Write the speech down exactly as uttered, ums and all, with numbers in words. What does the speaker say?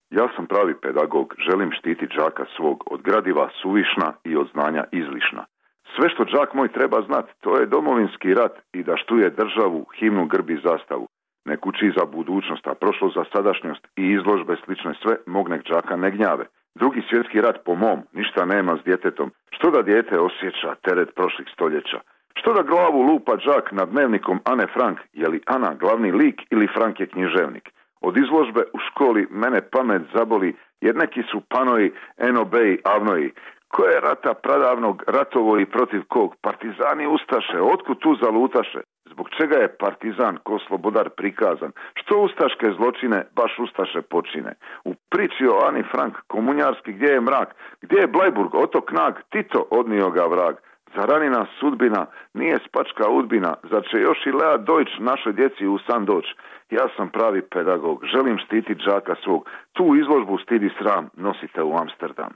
Ja sam pravi pedagog, želim štititi đaka svog od gradiva suvišna i od znanja izlišna. Sve što đak moj treba znat, to je domovinski rat i da štuje državu, himnu, grb i zastavu. Nek uči za budućnost, a prošlo za sadašnjost i izložbe slične sve, mog nek đaka ne gnjave. Drugi svjetski rat po mom, ništa nema s djetetom. Što da dijete osjeća teret prošlih stoljeća? Što da glavu lupa đak nad dnevnikom Ane Frank, je li Ana glavni lik ili Frank je književnik? Od izložbe u školi mene pamet zaboli, jer neki su panoji, enobeji, avnoji. Ko je rata pradavnog ratovo i protiv kog? Partizani ustaše, otkud tu zalutaše? Zbog čega je partizan ko slobodar prikazan? Što ustaške zločine baš ustaše počine? U priči o Ani Frank, komunjarski, gdje je mrak? Gdje je Blajburg, otok Nag, Tito odnio ga vrag? Zar ranina sudbina nije spačka udbina? Zar će još i Lea Deutsch našoj djeci u san doć? Ja sam pravi pedagog, želim štititi đaka svog. Tu izložbu stidi sram nosite u Amsterdam.